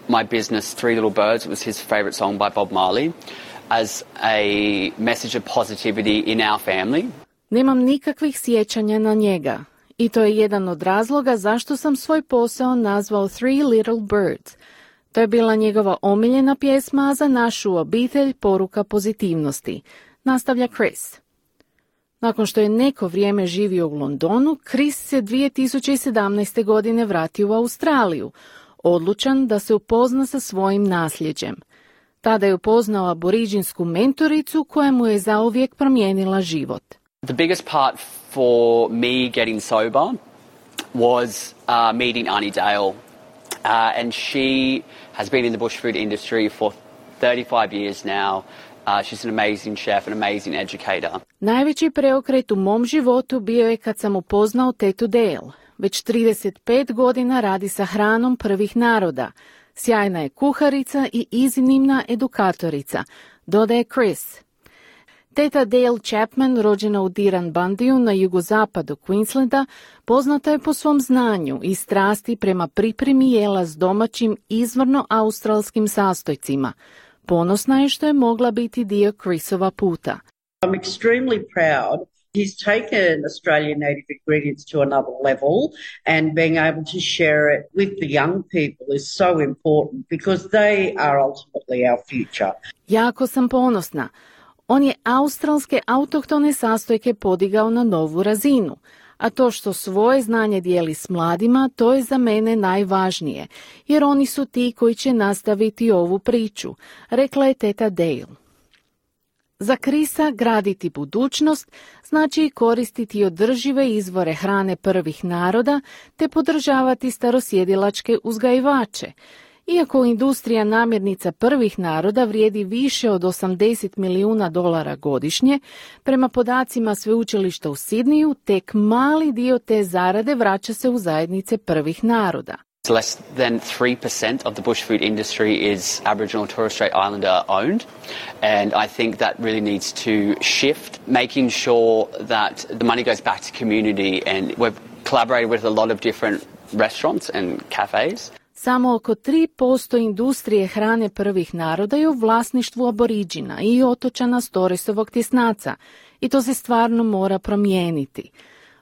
my business Three Little Birds. It was his favourite song by Bob Marley, as a message of positivity in our family. Nemam nikakvih sjećanja na njega. I to je jedan od razloga zašto sam svoj posao nazvao Three Little Birds. To je bila njegova omiljena pjesma, a za našu obitelj poruka pozitivnosti, nastavlja Chris. Nakon što je neko vrijeme živio u Londonu, Chris se 2017. godine vratio u Australiju, odlučan da se upozna sa svojim nasljeđem. Tada je upoznao aboriđinsku mentoricu koja mu je zauvijek promijenila život. The biggest part for me getting sober was meeting Annie Dale. And she has been in the bush food industry for 35 years now. She's an amazing chef, an amazing educator. Najveći preokret u mom životu bio je kad sam upoznao tetu Dale. Već 35 godina radi sa hranom prvih naroda. Sjajna je kuharica i iznimna edukatorica, dodaje Chris. Teta Dale Chapman, rođena u Dirranbandiju na jugozapadu Queenslanda, poznata je po svom znanju i strasti prema pripremi jela s domaćim izvorno australskim sastojcima. Ponosna je što je mogla biti dio Chrisova puta. I'm extremely proud. He's taken Australian native ingredients to another level, and being able to share it with the young people is so important because they are ultimately our future. Jako sam ponosna. On je australske autohtone sastojke podigao na novu razinu, a to što svoje znanje dijeli s mladima, to je za mene najvažnije, jer oni su ti koji će nastaviti ovu priču, rekla je teta Dale. Za Chrisa graditi budućnost znači i koristiti održive izvore hrane prvih naroda te podržavati starosjedilačke uzgajivače. Iako industrija namirnica prvih naroda vrijedi više od $80 milijuna godišnje, prema podacima sveučilišta u Sidniju, tek mali dio te zarade vraća se u zajednice prvih naroda. Less than 3% of the bush food industry is Aboriginal and Torres Strait Islander owned, and I think that really needs to shift, making sure that the money goes back to community, and we've collaborated with a lot of different restaurants and cafes. Samo oko 3% industrije hrane prvih naroda je u vlasništvu aboriđina i otočana s Torresovog tjesnaca i to se stvarno mora promijeniti.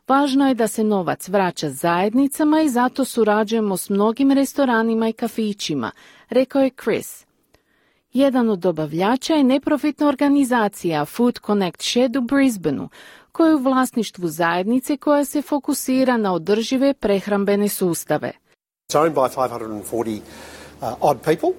Važno je da se novac vraća zajednicama i zato surađujemo s mnogim restoranima i kafićima, rekao je Chris. Jedan od dobavljača je neprofitna organizacija Food Connect Shed u Brisbaneu, koja je u vlasništvu zajednice koja se fokusira na održive prehrambene sustave. It's owned by 540 odd people.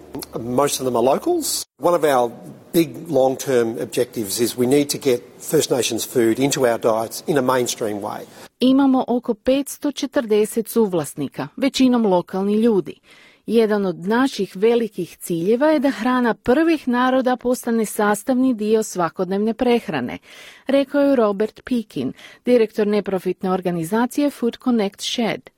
Most of them are locals. One of our big long-term objectives is we need to get First Nations food into our diets in a mainstream way. Imamo oko 540 suvlasnika, većinom lokalni ljudi. Jedan od naših velikih ciljeva je da hrana prvih naroda postane sastavni dio svakodnevne prehrane, rekao je Robert Pekin, direktor neprofitne organizacije Food Connect Shed.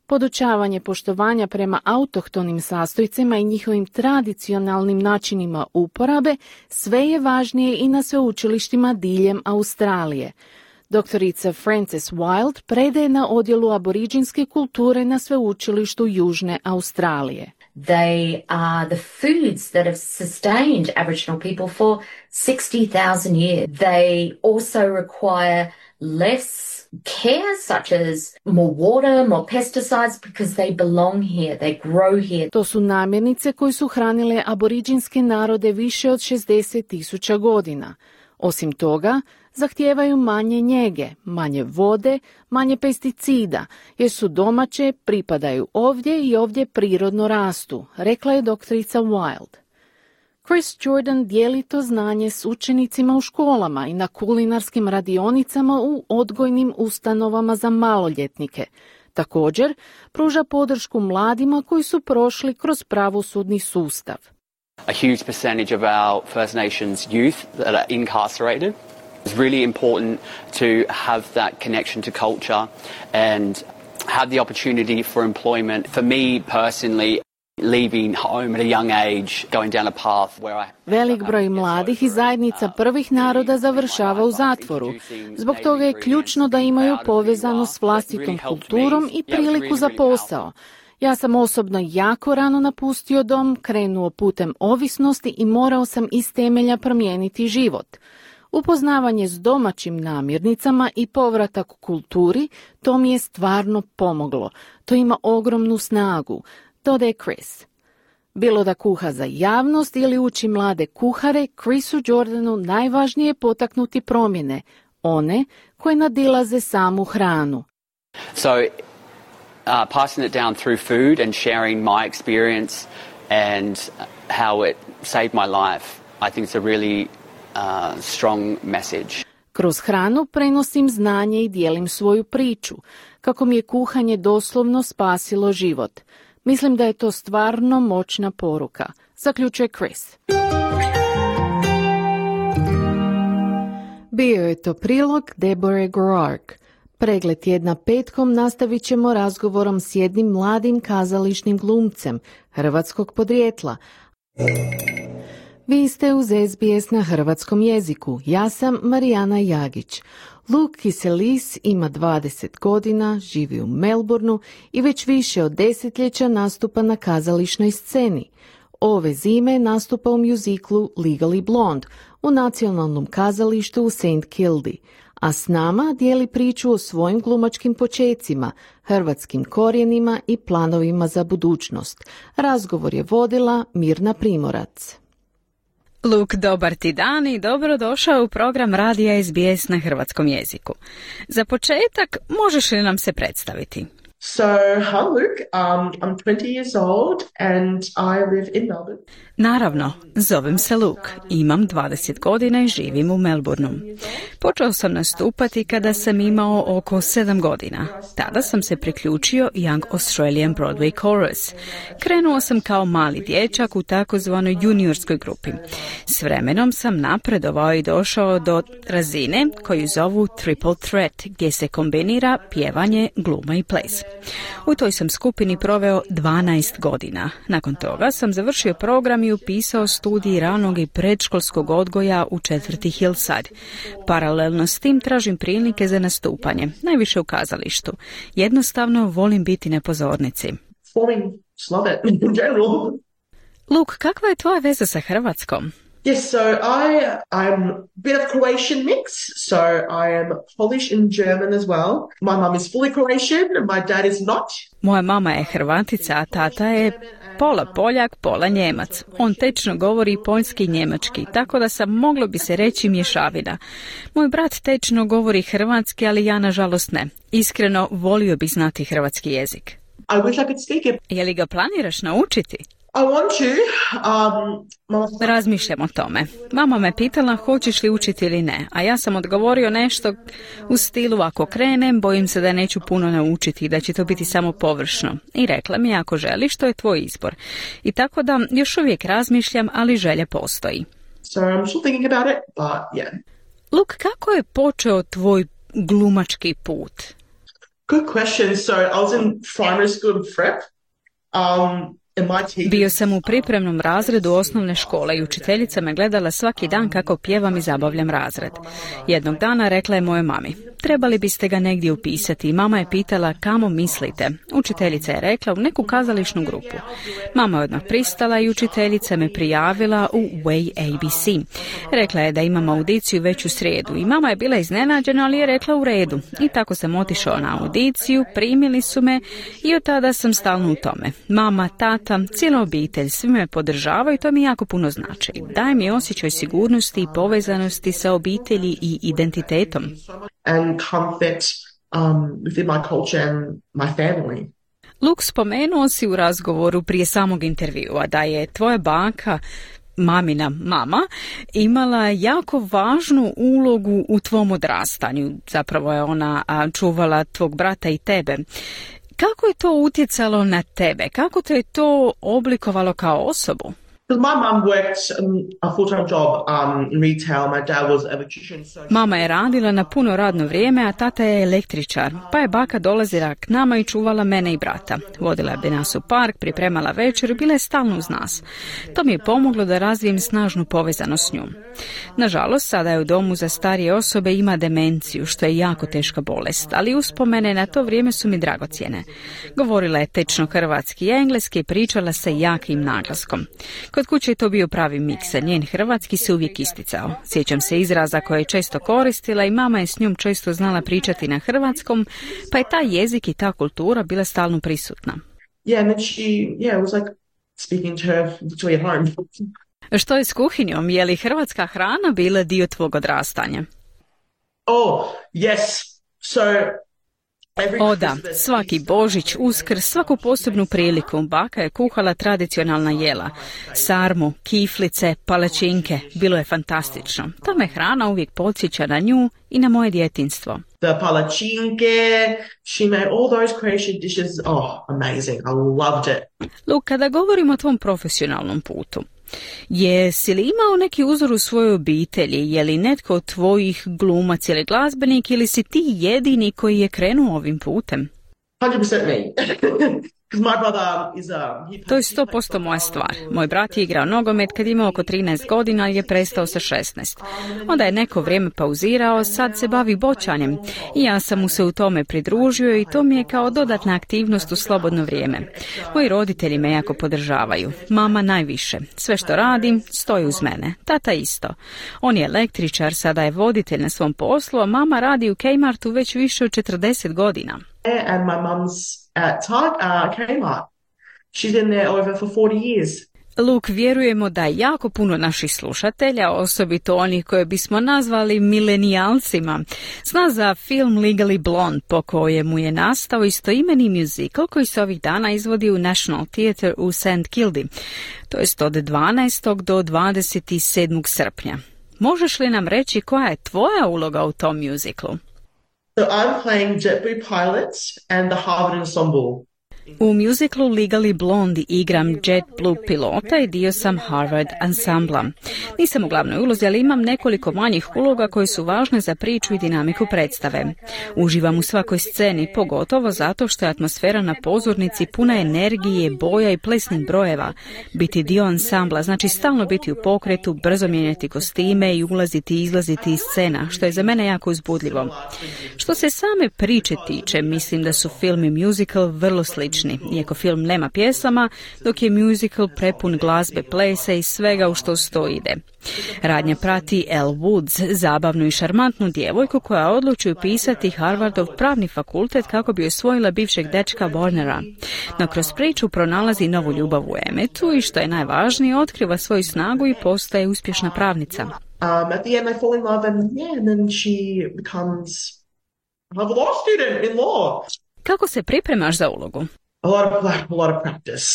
Podučavanje poštovanja prema autohtonim sastojcima i njihovim tradicionalnim načinima uporabe sve je važnije i na sveučilištima diljem Australije. Doktorica Frances Wild predaje na odjelu aboriđinske kulture na sveučilištu Južne Australije. They are the foods that have sustained Aboriginal people for 60,000 years. They also require less care, such as more water, more pesticides, because they belong here, they grow here. To su namirnice koje su hranile aboriđinske narode više od 60.000 godina. Osim toga, zahtijevaju manje njege, manje vode, manje pesticida, jer su domaće, pripadaju ovdje i ovdje prirodno rastu, rekla je doktorica Wild. Chris Jordan dijeli to znanje s učenicima u školama i na kulinarskim radionicama u odgojnim ustanovama za maloljetnike. Također, pruža podršku mladima koji su prošli kroz pravosudni sustav. A huge percentage of our First Nations youth that are incarcerated It's really important to have that connection to culture and have the opportunity for employment. For me personally, leaving home at a young age, going down a path where Velik broj mladih i zajednica prvih naroda završava u zatvoru. Zbog toga je ključno da imaju povezano s vlastitom kulturom i priliku za posao. Ja sam osobno jako rano napustio dom, krenuo putem ovisnosti i morao sam iz temelja promijeniti život. Upoznavanje s domaćim namirnicama i povratak u kulturi, to mi je stvarno pomoglo. To ima ogromnu snagu, dodaje Chris. Bilo da kuha za javnost ili uči mlade kuhare, Chrisu Jordanu najvažnije je potaknuti promjene, one koje nadilaze samu hranu. So, passing it down through food and sharing my experience and how it saved my life, I think it's a really strong message. Kroz hranu prenosim znanje i dijelim svoju priču, kako mi je kuhanje doslovno spasilo život. Mislim da je to stvarno moćna poruka, zaključuje Chris. Bio je to prilog Deborah Gorark. Pregled tjedna petkom nastavit ćemo razgovorom s jednim mladim kazališnim glumcem hrvatskog podrijetla. Vi ste uz SBS na hrvatskom jeziku. Ja sam Marijana Jagić. Luke Kiselis ima 20 godina, živi u Melbourneu i već više od desetljeća nastupa na kazališnoj sceni. Ove zime nastupa u mjuziklu Legally Blonde u nacionalnom kazalištu u St. Kildi, a s nama dijeli priču o svojim glumačkim počecima, hrvatskim korijenima i planovima za budućnost. Razgovor je vodila Mirna Primorac. Luke, dobar ti dan i dobrodošao u program Radija SBS na hrvatskom jeziku. Za početak, možeš li nam se predstaviti? So, hi Luke, I'm 20 years old and I live in Melbourne. Naravno, zovem se Luke, imam 20 godina i živim u Melbourneu. Počeo sam nastupati kada sam imao oko 7 godina. Tada sam se priključio Young Australian Broadway Chorus. Krenuo sam kao mali dječak u takozvanoj juniorskoj grupi. S vremenom sam napredovao i došao do razine koju zovu Triple Threat, gdje se kombinira pjevanje, gluma i ples. U toj sam skupini proveo 12 godina. Nakon toga sam završio program i upisao studij ranog i predškolskog odgoja u četvrti Hillside. Paralelno s tim tražim prilike za nastupanje, najviše u kazalištu. Jednostavno volim biti na pozornici. Luke, kakva je tvoja veza sa Hrvatskom? Yes, so I'm a bit of Croatian mix, so I am Polish and German as well. My mum is fully Croatian and my dad is not. Moja mama je Hrvatica, a tata je pola Poljak, pola Njemac. On tečno govori poljski i njemački, tako da sam, moglo bi se reći, mješavina. Moj brat tečno govori hrvatski, ali ja nažalost ne. Iskreno, volio bi znati hrvatski jezik. I wish I could speak it. Je li ga planiraš naučiti? I want to. Razmišljam o tome. Mama me pitala hoćeš li učiti ili ne, a ja sam odgovorio nešto u stilu ako krenem, bojim se da neću puno naučiti i da će to biti samo površno. I rekla mi ako želiš, to je tvoj izbor. I tako da još uvijek razmišljam, ali želja postoji. So I'm still thinking about it, but yeah. Luke, kako je počeo tvoj glumački put? Good question. So I was in primary school prep. Bio sam u pripremnom razredu osnovne škole i učiteljica me gledala svaki dan kako pjevam i zabavljam razred. Jednog dana rekla je mojoj mami, trebali biste ga negdje upisati, i mama je pitala kamo mislite. Učiteljica je rekla u neku kazališnu grupu. Mama je odmah pristala i učiteljica me prijavila u Way ABC. Rekla je da imam audiciju već u srijedu i mama je bila iznenađena, ali je rekla u redu. I tako sam otišao na audiciju, primili su me i od tada sam stalno u tome. Mama, tata, cijela obitelj, svi me podržavaju i to mi jako puno znači. Daje mi osjećaj sigurnosti i povezanosti sa obitelji i identitetom. And comfort within my culture and my family. Luke, spomenuo si u razgovoru prije samog intervjua da je tvoja baka, mamina mama, imala jako važnu ulogu u tvom odrastanju. Zapravo je ona čuvala tvog brata i tebe. Kako je to utjecalo na tebe? Kako te je to oblikovalo kao osobu? Because my mum worked a full-time job in retail. My dad was an electrician. So Mama je radila na puno radno vrijeme, a tata je električar, pa je baka dolazila k nama i čuvala mene i brata. Vodila bi nas u park, pripremala večer i bila je stalno uz nas. To mi je pomoglo da razvijem snažnu povezanost s njom. Nažalost, sada je u domu za starije osobe i ima demenciju, što je jako teška bolest, ali uspomene na to vrijeme su mi dragocjene. Govorila je tečno hrvatski i engleski i pričala se jakim naglaskom. Kod kuće je to bio pravi miks, a njen hrvatski se uvijek isticao. Sjećam se izraza koje je često koristila i mama je s njom često znala pričati na hrvatskom, pa je taj jezik i ta kultura bila stalno prisutna. Yeah, and then it was like speaking to her literally at home. Što je s kuhinjom? Je li hrvatska hrana bila dio tvog odrastanja? Oh, yes. O da, svaki Božić, Uskrs, svaku posebnu priliku baka je kuhala tradicionalna jela. Sarmu, kiflice, palačinke, bilo je fantastično. Ta me hrana uvijek podsjeća na nju i na moje djetinjstvo. The palačinke, she made all those Croatian dishes. Oh, amazing. I loved it. Luke, kada govorimo o tvom profesionalnom putu, jesi li imao neki uzor u svojoj obitelji? Je li netko od tvojih glumac ili glazbenik ili si ti jedini koji je krenuo ovim putem? 100% me. To je 100% moja stvar. Moj brat je igrao nogomet kad imao oko 13 godina i je prestao sa 16. Onda je neko vrijeme pauzirao, sad se bavi boćanjem i ja sam mu se u tome pridružio i to mi je kao dodatna aktivnost u slobodno vrijeme. Moji roditelji me jako podržavaju. Mama najviše. Sve što radim, stoji uz mene. Tata isto. On je električar, sada je voditelj na svom poslu, a mama radi u Kmartu već više od 40 godina. And my mum's at Kmart. She's been there over for 40 years. Luke, vjerujemo da jako puno naših slušatelja, osobito onih koje bismo nazvali milenijalcima, zna za film Legally Blonde, po kojemu je nastao istoimeni muzikal koji se ovih dana izvodi u National Theatre u St. Kilda, to jest od 12. do 27. srpnja. Možeš li nam reći koja je tvoja uloga u tom muzikalu? So I'm playing JetBlue Pilots and the Harvard Ensemble. U muziklu Legally Blonde igram JetBlue pilota i dio sam Harvard ansambla. Nisam u glavnoj ulozi, ali imam nekoliko manjih uloga koje su važne za priču i dinamiku predstave. Uživam u svakoj sceni, pogotovo zato što je atmosfera na pozornici puna energije, boja i plesnih brojeva. Biti dio ansambla znači stalno biti u pokretu, brzo mijenjati kostime i ulaziti i izlaziti iz scena, što je za mene jako uzbudljivo. Što se same priče tiče, mislim da su film i musical vrlo slični. Iako film nema pjesama, dok je musical prepun glazbe, plesa i svega u što sto ide. Radnja prati Elle Woods, zabavnu i šarmantnu djevojku koja odluči upisati Harvardov pravni fakultet kako bi osvojila bivšeg dečka Warnera. No kroz priču pronalazi novu ljubav u Emmetu i što je najvažnije, otkriva svoju snagu i postaje uspješna pravnica. At the end I fall in love and then she becomes a law student in law. Kako se pripremaš za ulogu? A lot of practice.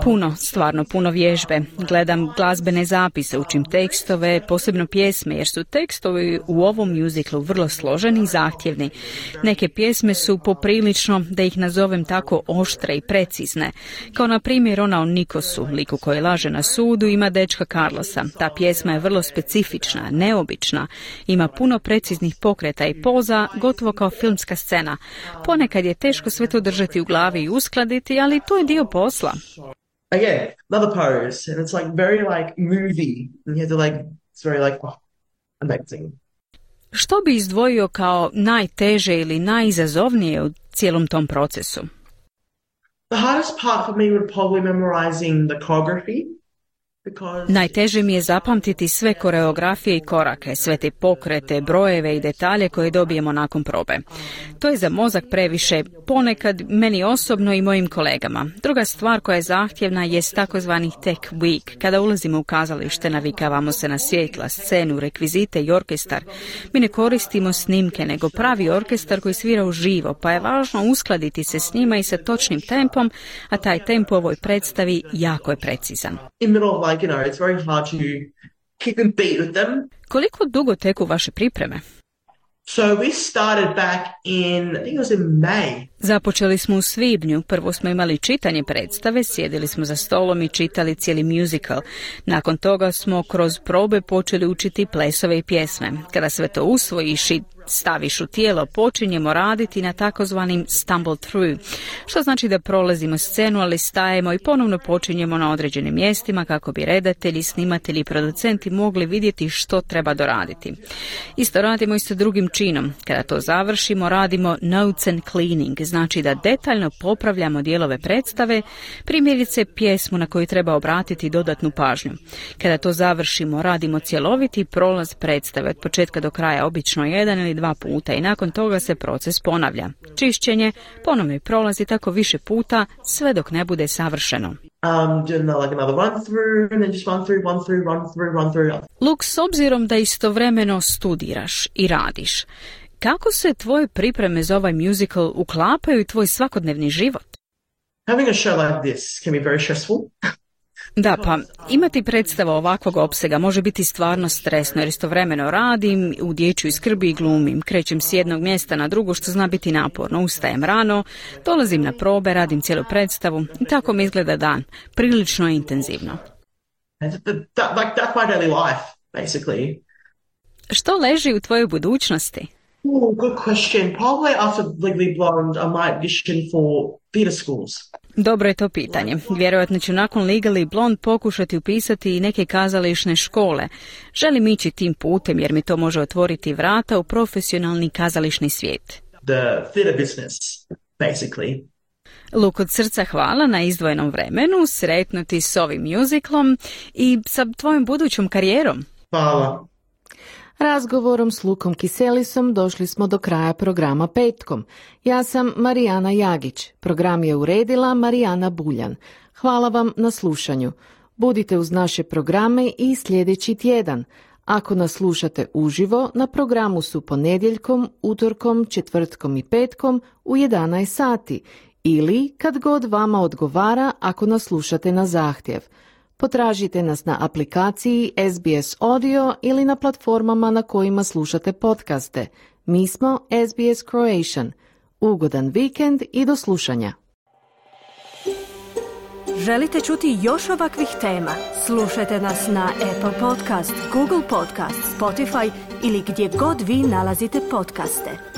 Puno, stvarno puno vježbe. Gledam glazbene zapise, učim tekstove, posebno pjesme, jer su tekstovi u ovom muziklu vrlo složeni i zahtjevni. Neke pjesme su poprilično, da ih nazovem tako, oštre i precizne. Kao na primjer ona o Nikosu, liku koji laže na sudu, ima dečka Carlosa. Ta pjesma je vrlo specifična, neobična. Ima puno preciznih pokreta i poza, gotovo kao filmska scena. Ponekad je teško sve to držati u glavi i uskladiti, ali to je dio posla. Again, another pose, and it's like very like movie, and you have to it's very like, amazing. Što bi izdvojio kao najteže ili najizazovnije u cijelom tom procesu? The hardest part for me would probably memorizing the choreography. Najteže mi je zapamtiti sve koreografije i korake, sve te pokrete, brojeve i detalje koje dobijemo nakon probe. To je za mozak previše, ponekad meni osobno i mojim kolegama. Druga stvar koja je zahtjevna je takozvani tech week. Kada ulazimo u kazalište, navikavamo se na svjetla, scenu, rekvizite i orkestar. Mi ne koristimo snimke, nego pravi orkestar koji svira uživo, pa je važno uskladiti se s njima i sa točnim tempom, a taj tempo u ovoj predstavi jako je precizan. It's very hard to keep in beat with them. Koliko dugo teku vaše pripreme? So we started back in, I think it was in May. Započeli smo u svibnju. Prvo smo imali čitanje predstave, sjedili smo za stolom i čitali cijeli musical. Nakon toga smo kroz probe počeli učiti plesove i pjesme. Kada sve to usvojiš i staviš u tijelo, počinjemo raditi na takozvanim stumble through, što znači da prolazimo scenu, ali stajemo i ponovno počinjemo na određenim mjestima kako bi redatelji, snimatelji i producenti mogli vidjeti što treba doraditi. Isto radimo i sa drugim činom. Kada to završimo, radimo notes and cleaning, znači da detaljno popravljamo dijelove predstave, primjerice pjesmu na koju treba obratiti dodatnu pažnju. Kada to završimo, radimo cjeloviti prolaz predstave od početka do kraja, obično 1 ili 2 puta, i nakon toga se proces ponavlja. Čišćenje, ponovno prolazi tako više puta, sve dok ne bude savršeno. Luke, s obzirom da istovremeno studiraš i radiš, kako se tvoje pripreme za ovaj musical uklapaju u tvoj svakodnevni život? Having a show like this can be very stressful. Da, pa imati predstava ovakvog opsega može biti stvarno stresno, jer istovremeno radim, u dječjoj skrbi i glumim, krećem s jednog mjesta na drugo, što zna biti naporno, ustajem rano, dolazim na probe, radim cijelu predstavu i tako mi izgleda dan, prilično intenzivno. That's my daily life, basically. Što leži u tvojoj budućnosti? Good question. Probably after Legally Blonde, I might audition for theatre schools. Dobro je to pitanje. Vjerojatno ću nakon Legally Blonde pokušati upisati i neke kazališne škole. Želim ići tim putem jer mi to može otvoriti vrata u profesionalni kazališni svijet. The theatre business, basically. Luke, od srca hvala na izdvojenom vremenu, sretno ti s ovim musicalom i sa tvojom budućom karijerom. Hvala. Razgovorom s Lukom Kiselisom došli smo do kraja programa Petkom. Ja sam Marijana Jagić. Program je uredila Marijana Buljan. Hvala vam na slušanju. Budite uz naše programe i sljedeći tjedan. Ako nas slušate uživo, na programu su ponedjeljkom, utorkom, četvrtkom i petkom u 11 sati ili kad god vama odgovara ako nas slušate na zahtjev. Potražite nas na aplikaciji SBS Audio ili na platformama na kojima slušate podcaste. Mi smo SBS Croatian. Ugodan vikend i do slušanja. Želite čuti još ovakvih tema? Slušajte nas na Apple Podcast, Google Podcast, Spotify ili gdje god vi nalazite podcaste.